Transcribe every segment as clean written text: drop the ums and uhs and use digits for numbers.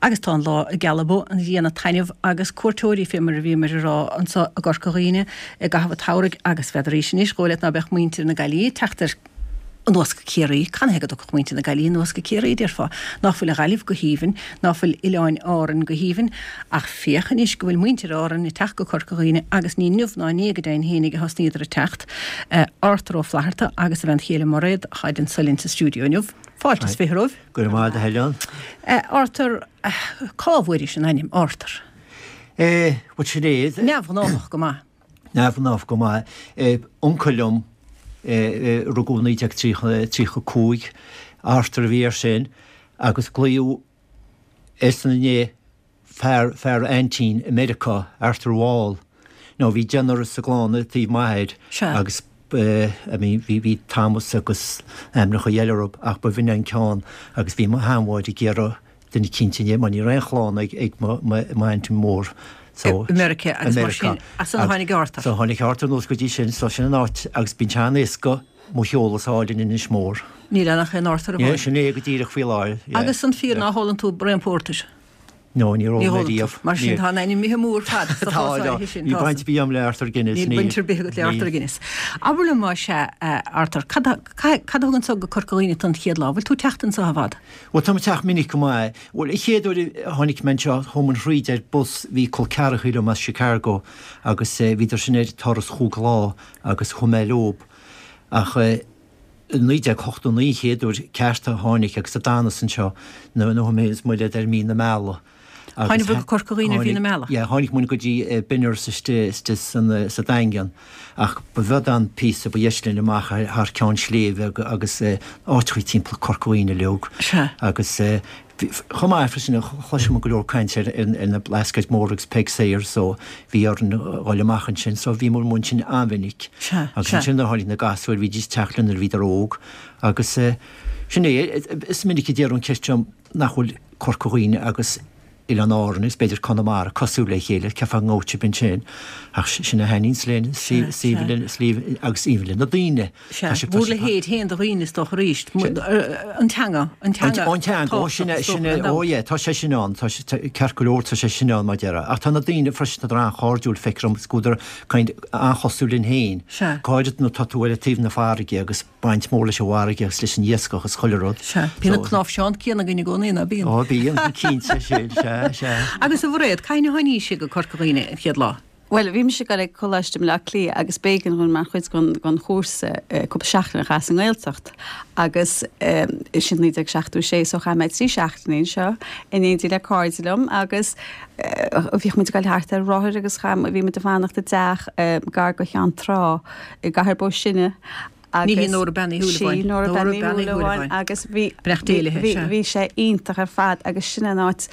Agus tá an lá ag gealbhú, an ghrian ag taitneamh agus cuairteoirí, fé mar a bhíomar a rá anso i gCorca Dhuibhne i gcaitheamh an tsamhraidh agus n'fheadaraís anois, dhóigh leat ná beadh muintir na Gaillimhe ag teacht ar anuas go Ciarraí. Canathaobh go dtiocfadh muintir na Gaillimhe anuas go Ciarraí, a déarfá? Ná fuil an Ghaillimh go haoibhinn, ná fuil Oileáin Árann go haoibhinn? Ach féach anois go bhfuil muintir Árann ag teacht go Corca Dhuibhne agus ní inniu ná inné go deimhin fhéinig a thosnaíodar ag teacht. Arthur Ó Flatharta agus a bhean chéile Mairéad atáid anso linn sa stiúideo inniu. Fáilte is romhaibh. Go raibh maith agat a Helen. Arthur, cá bhfuairis an ainm Arthur? Eh, bhuel sin é. Neamhghnáthach go maith. Neamhghnách go maith. Uncail liom, rugadh 1935, Arthur a bhí air sin, agus glaodh airsean inné fear, fear a aintín i Meiriceá, Arthur Wall. Now bhí deichniúr sa gclann ar taobh m'athair agus I mean bhí, bhí Thomas agus ainmneacha eile orthu ach ba bh'in an ceann agus bhí mo sheanmháthair ag iarraidh duine eicínt inné mar ní raibh aon chlann ag, ag mo, mo, m'aintín mór so. I Meiriceá agus mar sin, as san a tháinig Arthur. So tháinig Arthur anuas go dtí sin, so sin an áit agus bíonn sé an-éasca mo sheoladh a fháil in Inis Mór. Níl ann ach aon Arthur amháin. Yeah, sin é go díreach faoi láthair, yeah. Agus an fíor ná hólann tú braon pórtair? No, níor ól mé riamh. Mar sin tá an ainm imithe amú ar fad sa chás áirithe sin. Níl baint ar bith agam le Arthur Guinness. Níl baint ar bith agat le Arthur Guinness. Abair liom más ea, Arthur, cad a thug anso go Corca Dhuibhne tú an chéad lá? Bhfuil tú ag teacht anso i bhfad? Bhuel, táim ag teacht minic go maith. Bhuel, an chéad uair a tháinig mé anseo, chuaigh muid thríd ar bus, bhí col ceathracha liom as Chicago agus bhíodar sin ar turas chúig lá agus chuaigh mé leob. Ach i 1989 an chéad uair ceart a tháinig agus a d'fhanas anseo nuair a chuaigh mé is Mairéad ar mí na meala. Tháinig go Corca Dhuibhne ar mhí na meala? Yeah, tháinig muid go dtí Benners istigh sa Daingean ach ba bheag an píosa ba dheis linn amach thar ceann sléibhe agus áiteachaí timpeall Corca Dhuibhne uilig. Agus chomh maith freisin chloiseadh muid go leor caint ar na Blascaeid Mór agus Peig Sayers so bhí orainn dhul amach ansin so bhí muid ansin an-mhinic. Agus ansin nuair a tháinig na gasúir bhídís ag teacht linn nuair a bhíodar óg agus sin é, is minic a déarfadh an ceist seo nach bhfuil Corca Dhuibhne agus Oileáin Árann agus b'fhéidir Conamara cosúil le chéile, ceapfá go ngabhadh sibh ansin, ach sin a thaitníonns linn, suíomh agus even le na daoine. Sea, bhur leithéid féin de dhaoine is dócha arís, an teanga, an teanga An teanga, ó sin é, sin é, ó yeah, tá sé sin ann, tá sé, ceart go leor tá sé sin ann mar déarfá. Ach tá na daoine freisin, tá an-chairdiúil, feictear dom, is go bhfuileadar kind an-chosúil linn féin, go háirid nuair atá tú ar taobh na farraige agus baint mór leis an bhfarraige agus leis an iascach is chuile rud. Sea, bíonn an cnáimhseán céanna againn i gcónaí, ná bíonn? Ó, bíonn, cinnte, sin, sea, sea. Agus a Mhairéad, cathain a tháinís go Corca Dhuibhne an chéad lá? Bhuel, bhí mise ag dul ag Coláiste i mBleá Cliath agus b'éigean dhúinn mar chuid den chúrsa cúpla seachtain a chaitheamh sa nGaeltacht agus sin 1976 so chaith mé 3 seachtainí anseo in éindí le cairde liom agus bhíodh muid ag dul thart ar rothair agus chaith, bhí muid ag fanacht i dteach gar go Cheann Trá i gCathair Bó Sine agus Ní hí Nóra Bean Uí Shúilleabháin. Sí Nóra Bean Uí Shúilleabháin agus bhí Beannacht Dé léi, sea. bhí sé iontach ar fad agus sin an áit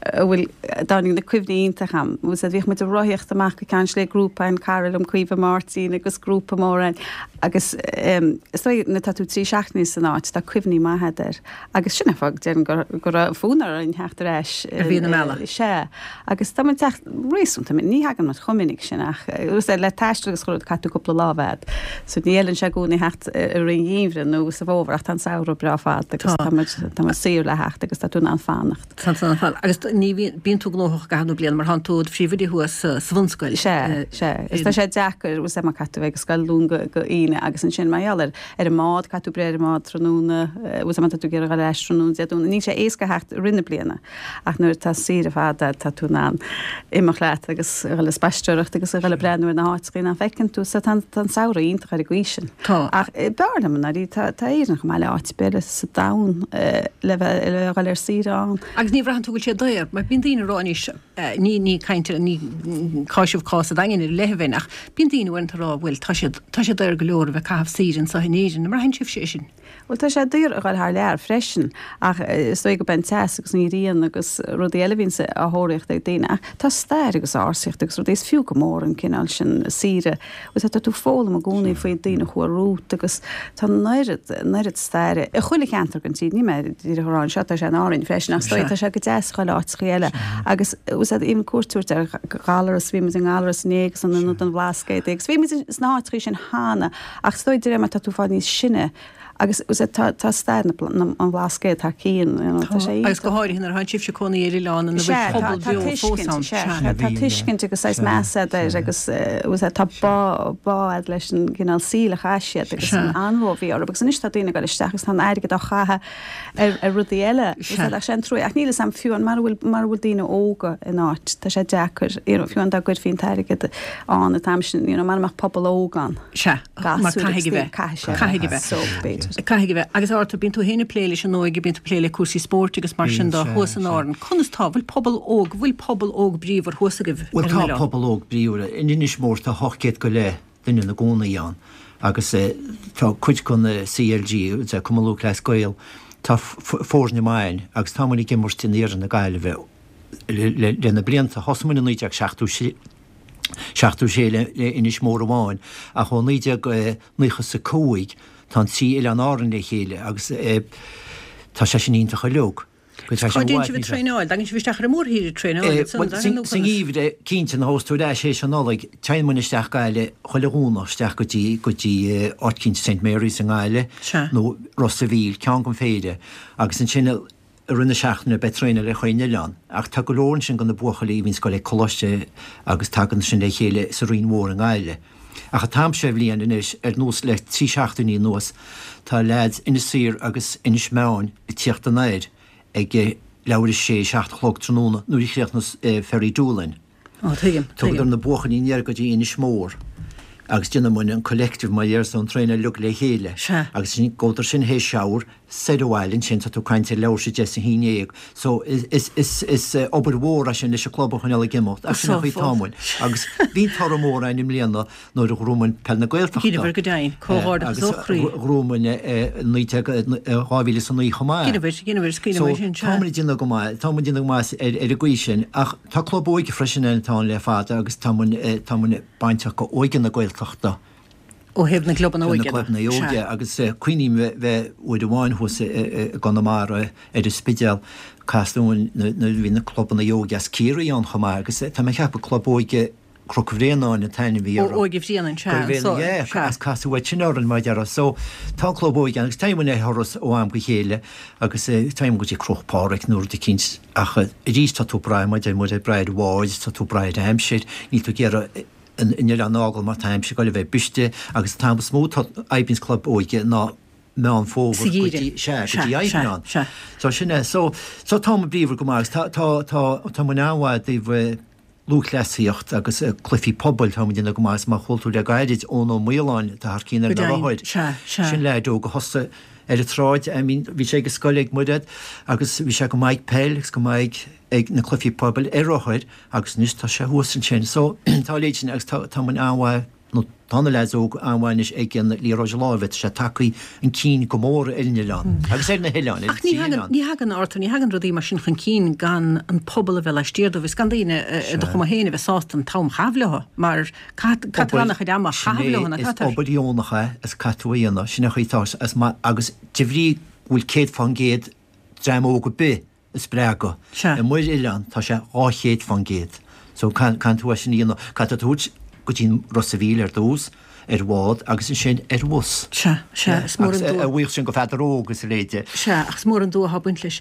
a bhfuil, a dtáinig na cuimhní iontach a'm. Bhfuil fhios a'd, bhíodh muid ag rothaíocht amach go Ceann Sléibhe, grúpa againn, cara liom Caoimhe Máirtín agus grúpa mór againn agus is dóigh nuair atá tú 3 seachtainí san áit tá cuimhní maithe a'd air agus sin an fáth go déarfainn go go raibh fonn orainn theacht ar ais. Ar mhí na meala. Sea. Agus tá muid ag teacht réasúnta minic, ní thagann muid chomh minic sin ach le taisteal agus chuile rud caithfidh tú cúpla lá a bheith a'd. So ní fheileann sé i gcónaí theacht i rith an gheimhridh nó sa bhfómhar ach tá an samhradh breá fada agus tá muid tá muid saor le theacht agus tá tú in ann fanacht. Tá tú in ann fanacht. Agus ní bhíonn, bíonn tú gnóthach i gcaitheamh na bliana mar tánn tú i do phríomhoide thuas sa bhunscoil. Sea, sea. Is tá sé deacair, bhfuil fhios a'd mar caithfidh tú bheith ag scoil Luan go go Aoine agus ansin mar gheall ar ar an mbád, caithfidh tú breith ar an mbád tráthnóna, bhfuil fhios a'd má tá tú ag iarraidh dhul ar ais tráthnóna Dé Domhnaigh. Níl sé éasca theacht i rith na bliana. Ach nuair atá saoire fada tá tú in ann imeacht leat agus a dhul ag spaisteoireacht agus a dhul ag breathnú ar na háiteachaí nach bhfeiceann tú. So tá an tá an samhradh iontach ar an gcaoi sin. Tá. Ach b'fhearr liom i ndáiríre, tá tá Éirinn chomh maith le áit ar bith eile sa domhan le bheith le dhul ar saoire ann. Agus ní bhraitheann tú go bhfuil sé daor, mar bíonn daoine ag rá anois, ní ní caint ní cáiseamh cás an Daingin ar leith a bheinn ach bíonn daoine uaireanta ag rá bhuel tá siad tá sé daor go leor a bheith ag caitheamh saoire anseo in Éirinn, an mbraitheann sibhse é sin? Bhuel, tá sé daor a dhul thar lear freisin, ach is dóigh gurb é an teas agus an ghrian agus rudaí eile a bhíonns á thóraíocht ag daoine. Ach tá stair agus ársaíocht agus rudaí, is fiú go mór an cineál sin saoire. Bhuel, tá tú ag foghlaim i gcónaí faoi daoine a chuaigh romhat agus tá an oiread, an oiread staire i chuile cheantar den tír. Níl mé díreach ag rá anseo, tá sé in Árainn freisin, ach is dóigh tá sé go deas a dhul áiteachaí eile. Agus bhfuil fhios a'd, even cuairt a thabhairt ar Ghallaras, bhí muid i nGallaras inné agus in Ionad an Bhlascaoid agus bhí muid sna háiteachaí sin cheana. Ach is dóigh de réir mar tá tú ag fáil níos sine. Agus tá tá stair na an Bhlascaoid thar cionn, you know, tá sé Agus go háirithe nuair atá sibhse ag cónaí ar oileán ina bhfuil pobal beo fós ann. Sea, tá tuiscint agus saghas meas agat air agus tá bá bá agat leis an gcineál saoil a chaith siad agus an anró a bhí orthu agus anois tá daoine ag dul isteach agus tá an airgead á chaitheamh ar ar rudaí eile. Ach sé an trua ach níl fhios a'm fiú an mara bhfuil mara bhfuil daoine óga in áit tá sé deacair you know fiú an dá gcuirfí an t-airgead ann an t-am sin you know mara mbeadh pobal óg ann. Sea, mar caithfidh a bheith. Caithfidh sé. Caithfidh a bheith. So b'fhéidir. Caithfidh a bheith. Agus Arthur, bíonn tú féin ag plé leis an óige, bíonn tú ag plé le cúrsaí spóirt agus mar sin de thuas in Árainn. Conas tá, bhfuil pobal óg, bhfuil pobal óg bríomhar thuas agaibh ar an oileán? Bhuel tá pobal óg bríomhar. In Inis Mór tá 800 go leith duine ina gcónaí ann agus tá cuid den CLG, Cumann Lúthchleas Gael, tá foirne maith ann agus tá muid ag imirt in iarthar na Gaillimhe le na blianta. Thosaigh muid in 1976 le Inis Mór amháin ach ó 1995 tá an trí oileán Árann le chéile agus tá sé sin iontach uilig. Cá dtéann sibh ag traenáil? Dtagann sibh isteach ar an mórthír ag traenáil ansan, an dtagann nó conas? Sa ngeimhreadh, cinnte, nuair a thosós tú ar ais théis an Nollaig, téann muid isteach Gaillimh chuile Dhomhnach isteach go dtí, go dtí áit eicínt St Mary's i nGaillimh nó Ros a' Mhíl, ceann den phéire, agus ansin i rith na seachtaine beidh traenáil ar chaon oileán. Ach tá go leor ansin de na buachaillí a bhíonns ag goil ag coláiste agus tagann sin le chéile sa Rinn Mhór i nGaillimh. Ach an t-am seo bhliain anois, ar nós le 3 seachtainí anuas, tá leaids Inis Oírr agus Inis Meáin ag tíocht anoir ag leathuair théis a sé, 7 a chlog tráthnóna nuair a chríochnas Ferry Doolin. Ó, tuigim, tuigim. Tugadar na buachaillí aniar go dtí Inis Mór agus déanann muid an collective mar dhéarfá an traenáil uilig le chéile. Sea. Agus sin, gabhadar sin théis shower soir abhaile ansin, tá tú ag caint ar leathuair théis 10 is a 11. So is, is, is, is obair mhór é sin leis an club a choinneáil ag imeacht ach sin an chaoi atá muid. Agus bhí toradh mór againn i mbliana nuair a ghnóthaigh muid Peil na Gaeltachta. Dheineabhair go deimhin, comhghairdeachas ó chroí. Agus ghnóthaigh muid i 19, 2009 chomh maith. Dheineabhair, dheineabhair, is cuimhin liom é sin, sea. So tá muid ag déanamh go maith, tá muid ag déanamh go maith ar, ar an gcaoi sin ach tá club óige freisin ann atá ann le fada agus tá muid, tá muid bainteach go Óige na Gaeltachta. Ó thaobh na gclubanna óige de. Na clubanna óige agus cuimhním bheith uair amháin thuas i gConamara ar an Spidéal, casadh uainn nuair a bhí na clubanna óige as Ciarraí ann chomh maith agus tá mé ag ceapadh club óige Chnoc Bhréanainn an t-ainm a bhí orthu. Óige Bhréanainn, sea, anso, sea. Agus casadh uait sin orainn mar a déarfá. So tá an club óige ann agus téann muid ar thuras ó am go chéile agus téann muid go dtí Cnoc Phádraig nó rud eicínt ach arís tá tú ag brath, mar a deir muid, ag brath ar bháid, tá tú ag brath ar aimsir, níl tú ag iarraidh an oileán a fhágáil mar tá aimsir ag goil a bheith briste agus an t-am is mó atá oibríonns club óige ná Meán Fómhair go dtí, sea, go dtí Aibreán. So sin é. So, so tá muid bríomhar go maith agus tá, tá, tá, tá muid an-mhaith i dtaobh lúthchleasaíocht agus cluichí pobail, tá muid ag déanamh go maith agus mar chuala tú le gairid, Eoin Ó Maoláin atá thar cionn ar na rothair. Sin leaid óg a thosaigh ar an tsráid, I mean bhí sé ag an scoil ag Muiread agus bhí sé go maith ag peil agus go maith ag na cluichí pobail ar rothair Agus anois tá sé thuas ansin. So, tá a leithéid sin agus tá, tá muid an-mhaith, nó tá na leaids óga an-mhaith anois ag an liathróid láimhe, tá sé tagtha chun cinn go mór ar an oileán agus ar na hoileáin, ar Ach ní thagann, ní thagann, Arthur, ní thagann rudaí mar sin chun cinn gan an pobal a bheith laistiar dóibh is gan daoine i do chuma féin a bheith sásta an t-am a chaitheamh leo mar caithfidh an-chuid ama a chaitheamh leo, nach gcaithfear? Is obair dheonach é is caithfidh tú a dhéanamh, sin an chaoi atá is maith agus de bhrí go bhfuil 100% dream óg ar bith a spreagadh. Sea. Amuigh ar oileán tá sé 200%. So caithfidh tú é sin a dhéanamh. Caithfidh tú tabhairt go dtí an Ros a' Mhíl ar dtús, ar bhád agus ansin ar bhus. Sea, sea, is mór an dua. Agus a bhuíochas sin go Pheadar Óg is a leithéide. Sea, ach is mór an dua atá ag baint leis.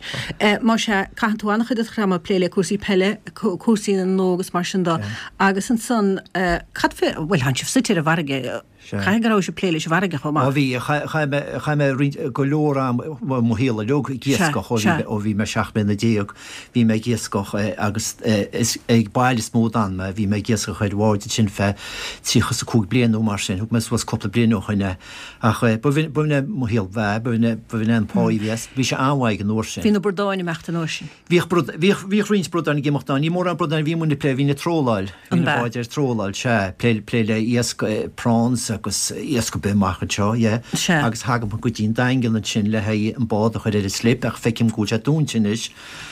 Má sea, caitheann tú an-chuid de do ama ag plé le cúrsaí peile, cúrsaí na n-óg is mar sin de. Agus ansan, cad fé, bhuel, tánn sibh suite ar an bhfarraige, Caithfidh go raibh sibh ag plé leis an bhfarraige chomh maith. Ó bhí, chaith mé, chaith mé roinnt, go leor am, bhuel, mo shaol uilig ag iascach ó bhí mé, ó bhí mé 17 mbliana. Bhí mé ag iascach agus is ag baile is mó a d'fhan mé, bhí mé ag iascach ar bháid ansin feadh 35 bliain nó mar sin, thug mé suas cúpla bliain ó shoin é. Ach ba bh'in, ba bh'in é mo shaol bheatha, ba bh'in é, ba bh'in é an pá a bhí as, bhí sé an-mhaith ag an uair sin. Bhí na bradáin ag imeacht an uair sin. Bhíodh brad, bhíodh, bhíodh roinnt bradán ag imeacht ann. Ní mórán bradán a bhí muid ag plé, bhínn ag tróláil. Bhí na báid ar tróláil, sea. Plé, plé le iasc, prawns agus iasc ar bith amach anseo, yeah. Sea. Agus thagadh muid go dtí an Daingean ansin le haghaidh an bád a chur ar an slip ach feicim go bhfuil sé dúnta anois.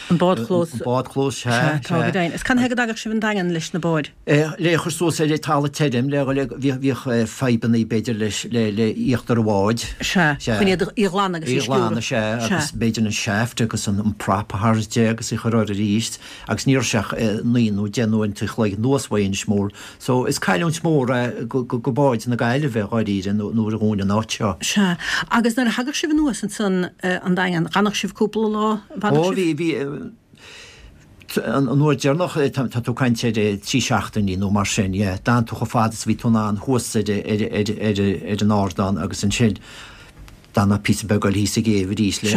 An bádchlós. An bádchlós, sea, sea. Tá go deimhin. Is cad chuige go dtagadh sibh an Daingean leis na báid? Le a chur suas ar talamh tirim, le dhul ag, bhíodh, bhíodh fadhbannaí b'fhéidir leis, le, le íochtar an bháid. Sea, chun iad a ghlanadh agus a sciúradh. A ghlanadh, sea, agus b'fhéidir an shaft agus an prop a tharraingt de agus a chur air arís agus ní raibh sé ach naoi nó deich n-uaireanta an chloig anuas uaidh Inis Mór. So is cailliúint mhór é go, go, go báid na Gaillimhe. Gaillimhe, dháiríre, nuair a dhún an áit seo. Sea. Agus nuair a thagadh sibh anuas ansan an Daingean, d'fhanadh sibh cúpla lá, an bhfanadh Ó, sibh? bhí, bhí, an uair deireanach, tá tú ag caint ar 3 seachtainí nó mar sin, yeah. D'fhan tú chomh fada is a bhí tú in ann thuas ar, ar, ar, ar, ar an ardán agus ansin d'fhan píosa beag eile thíos sa gcéibh arís le,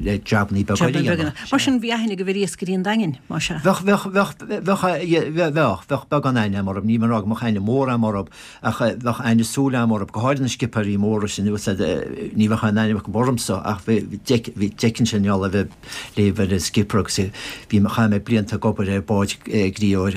le jabannaí beaga eile a dhéanamh. Mar sin bhí aithne agaibh ar iascairí an Daingin, más ea? Bheadh, bheadh, bheadh, bheadh, bheadh, bheadh beagán aithne agam orthu, níl mé ag rá go mbeadh aithne mhór agam orthu ach bheadh aithne súl agam orthu, go háirid na scipéirí móra sin, ní bheadh aon aithne acu ormsa ach bhí, bhí, d'fheicinnse i ngeall a bheith léamh ar an skipper agus bhí, chaith mé blianta ag obair ar bhád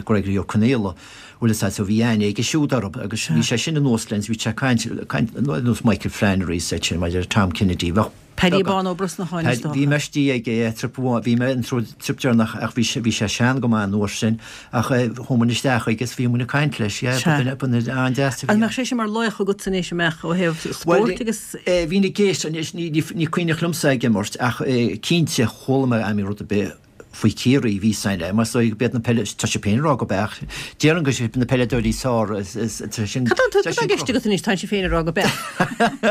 Gregory Ó Conaola. Bhuel is ea, so bhí aithne aige siúd orthu agus bhí sé sin anuas linn, bhí sé ag caint, caint ar nós Michael Flannery is iad sin, maidir le Tom Kennedy, bheadh Paddy Bán Ó Brosnacháin is dócha. Bhí mé istigh aige trip amháin, bhí mé an trip deireanach ach bhí sé, bhí sé sean go maith an uair sin ach chuaigh muid isteach chuige is bhí muid ag caint leis, yeah, ba dhuine, ba dhuine an-deas a bhí An mbeadh sé sin mar laoch agatsa anois, an mbeadh, ó thaobh spóirt agus. Bhuel, bhínn ag éisteacht anois, ní, ní cuimhneach liomsa ag imirt ach cinnte chuala mé am rud ar bith faoi Chiarraí, bhí sain le, más dóigh go b'iad na peile, tá sé féin ag rá go b'ea, ach déarfainn go siad na peileadóirí is fearr, is, is, tá sin, Cad tá, cad tá i gceist agat anois, tá sé féin ag rá go b'ea.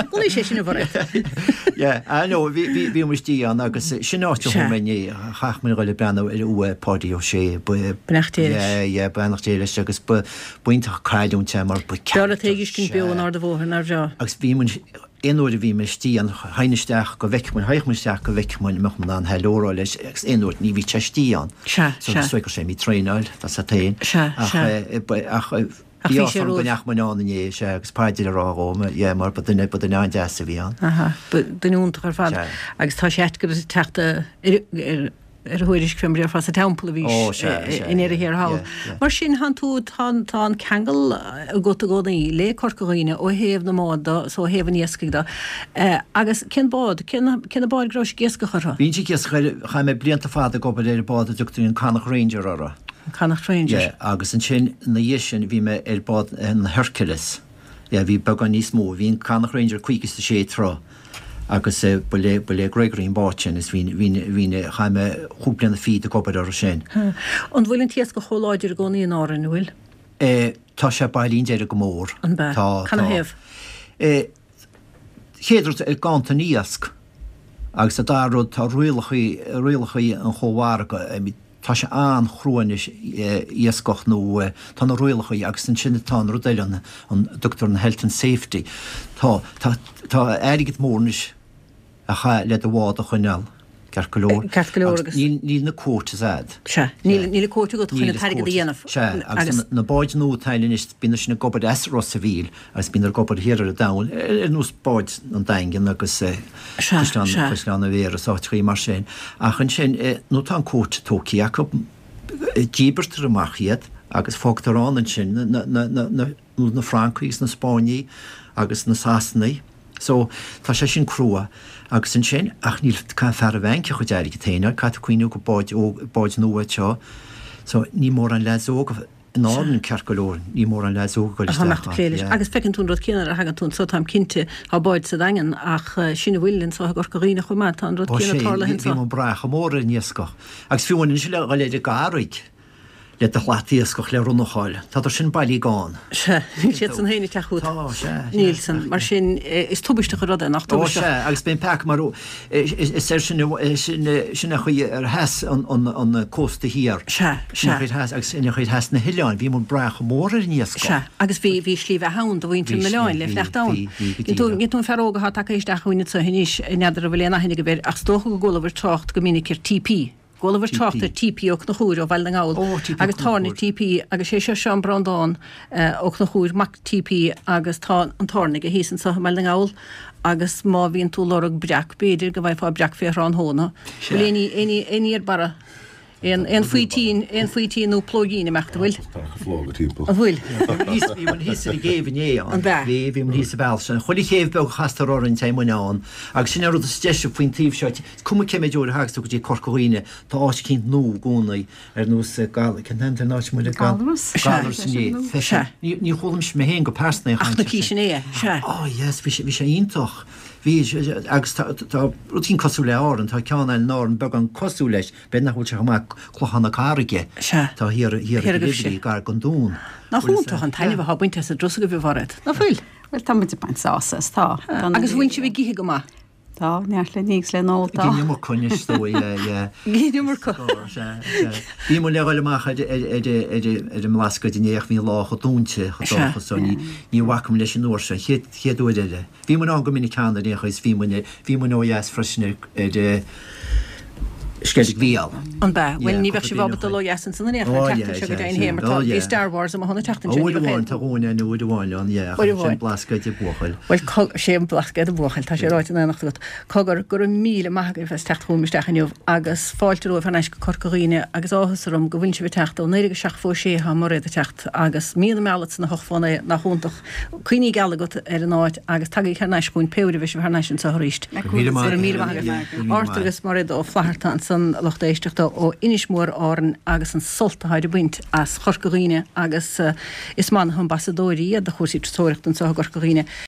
An é sé sin a Mhairéad? Yeah, I know, bhí, bhí, bhí muid istigh ann agus sin áit a chuaigh mé inné, chaith muid a dhul ag breathnú ar uaigh Páidí Ó Sé, ba, Beannacht Dé leis. Yeah, yeah, beannacht Dé leis agus ba, b'iontach cailliúint é mar ba B'fhearr leat é a fheiscint beo in Ard an Bhóthair, nár bhreá? Agus bhí muid, Aon uair a bhí mé istigh ann, théinn isteach go bhfeicfeadh muid, théadh muid isteach go bhfeicfeadh muid an mbeadh muid in ann hello a rá leis agus aon uair ní bhíodh sé istigh ann. Sea, So sea. is dóigh go raibh sé imithe ag traenáil, tá a fhios agat féin. Sea, Ach, sea. eh, ba- ach, eh, Ach bhí bhí sé áthas orm go romhaibh. ndeachaigh muid ann inné, sea, agus paidir a rá dhó, yeah, mar ba duine, ba duine an-deas a bhí ann. Aha, ba duine iontach ar fad. Sea. Agus tá sé ait go raibh teacht ar, ar, ar a thuairisc fé mar a déarfá sa teampall a bhís i ndeireadh thiar thall. Mar sin, thánn tú, tá an ceangal agat i gcónaí le Corca Dhuibhne ó thaobh na mbád do, so ó thaobh an iascaigh do. Agus cén bád, cé na báid go raibh ag iascach orthu? Bhínnse ag iascach ar, chaith mé blianta fada ag obair ar an bád a dtugtaí an Connacht Ranger orthu. An Connacht Ranger. Yeah, agus ansin ina dhiaidh sin bhí mé ar bád an Hercules. Yeah, bhí beagán níos mó, bhí an Connacht Ranger 56 troigh. Agus ba le, ba le Gregory an bád sin is bhí, bhí, bhí, chaith mé chúig bliana fichead ag obair orthu sin. An bhfuil an t-iascach chomh láidir i gcónaí in Árainn, an bhfuil? Eh, tá sé bailithe i ndeireadh go mór. An bea? Tá, tá. Canathaobh? Eh, chéad rud, ganntan iasc. Agus an dara rud, tá rialachaí, rialachaí an chómhargaidh, I mean, Tá sé an-chrua anois iascach nó tá na rialacha agus ansin tá an rud eile an an dtugtar an health and safety. Tá tá tá airgead mór anois a chaith le do bhád a choinneáil, ceart go leor. Ceart go leor agus. Níl níl na quotas a'd. Sea. Níl níl an quota agat chun an t-airgead a dhéanamh. Sea agus na báid nua atá ann anois bíonn sin ag obair as Ros a' Mhíl agus bíonn ag obair thiar ar an domhan ar nós báid an Daingin agus Caisleán Caisleán na Mhéar is áiteachaí mar sin. Ach ansin nuair atá an quota tógtha acu, díbirtear amach iad agus fágtar ann ansin na na na na na Francaigh agus na Spáinnigh agus na Sasanaigh. So tá sé sin crua. Agus ansin, ach níl caithfidh fear an bhainc a chuid airgid féin a caithfidh tú cuimhniú go báid óg báid nua seo. So ní mórán leaids óga In Árainn, ceart go leor, ní mórán leaids óga ag dul isteach ann, yeah. Agus feiceann tú an rud céanna nuair a thagann tú anso, táim cinnte, tá báid sa Daingean ach sin a bhfuil anso i gCorca Dhuibhne chomh maith, tá an rud céanna tarlaithe anso. Bhí muid ag brath chomh mór ar an iascach. Agus fiú anois le dhul ar an gCarraig le do shlat iascach le run a fháil, tádar sin bailí gann. Sea, níl siad san féin ag teacht chugat. Tá, sea, sea. Níl san. Mar sin, is tubaisteach an rud é, nach tubaisteach? Ó, sea, agus bíonn peaca mar, is air sin, sin an chaoi ar sheas an cósta thiar. Sea, sea. Sin an chaoi ar sheas, agus sin an chaoi ar sheas na hoileáin, bhí muid ag brath chomh mór ar an iascach. Sea, agus bhí, bhí slí bheatha ann do mhuintir na n-oileán le fanacht ann. Bhí, bhí, bhí, go díreach. Tú an fear óg atá tagtha isteach chugainn anseo anois, n'fheadar an bhfuil aon aithne agaibh air, ach is dócha go gcualabhair trácht go minic ar TP. Chualabhair trácht ar TP Ó Conchúir ó Bhaile na nGall agus tábhairne TP agus sé seo Seán Breandán Ó Conchúir, mac TP agus tá an tábhairne aige thíos anso i mBaile na nGall agus má bhíonn tú lorg breac b'fhéidir go bhfaighfeá breac fé thráthnóna. Bhfuil aon ní, aon ní, aon ní ar barra? Aon, aon faoitín, aon faoitín nó plóigín ag imeacht, an bhfuil? Tá plóga timpeall. An bhfuil? Bhí muid thíos ar an gcéibh inné ann. An b'ea? Bhí, bhí muid thíos sa bhealach sin. Chuile chéibh beag a chastar orainn téann muid ann agus sin an rud is deise faoin taobh seo. Is cuma cé méid uair a thagas tú go dtí Corca Dhuibhne, tá áit eicínt nua i gcónaí, ar nós Gal, cén t-ainm ar an áit muid ag Gal, Gallarus? Gallarus inné, Sea. Sea. Ní, ní chuala mise mé féin go pearsanta aon chaint air sin. Ach na císeanna é, sea. Oh yes, bhí sé, bhí sé iontach. Bhí, agus tá, tá rud eicínt cosúil le Árainn, tá ceann eile in Árainn beagán cosúil leis, b'fhéidir nach bhfuil sé chomh maith, Clochán na Carraige. Sea. Tá thiar, thiar ag Oileán Bhrí, gar don dún. Nach iontach an taitneamh atá bainte as an dturas agaibh, a Mhairéad, nach bhfuil? Bhuel, tá muid ag baint sásamh as, tá. Agus bhfuil sibh ag ithe go maith? Tá, neart le ní agus le n-ól, tá. Ag an iomarca anois, is dóigh, yeah, yeah. Ag an iomarca. Sea, sea. Bhí muid le dhul amach ar ar an mBlascaod inné ach bhí an lá chomh dúinte, chomh dorcha so ní ní bhacfaidh muid leis an uair seo, an chéad chéad uair eile. Bhí muid ann go minic cheana ar aon chaoi is bhí muid bhí muid ó dheas freisin ar ar Sceilg Mhichíl. An b'ea? Bhuel, ní bheadh sibh ábalta dul ó dheas ansan in aon chor an tseachtain seo go deimhin féin mar tá, bhí Star Wars amuigh an tseachtain seo, ní Uair amháin, tá dhúinn ann uair amháin ann, yeah, ach Uair amháin. sin Blascaod an buachaill. Bhuel, co, sé an Blascaod an buachaill, tá sé ráite in éineacht agat. Cogar, go raibh míle maith agaibh as teacht chugam isteach inniu agus fáilte romhaibh thar n-ais go Corca Dhuibhne agus áthas orm go bhfuil sibh ag teacht ó 1976 atá Mairéad ag teacht agus mí na meala san 8 fá 9, nach iontach. Cuimhní geala agat ar an áit agus tagaigí thar n-ais chugainn pé uair a bheidh sibh thar n-ais anseo arís. Go raibh míle maith Go raibh míle maith agaibh. Arthur agus Mairéad Ó Flatharta ansan, lucht éisteachta ó Inis Mór Árann agus an sult atáid ag baint as Chorca Dhuibhne agus is maith na hambasadóirí iad do chúrsaí turasóireachta anseo i gCorca Dhuibhne.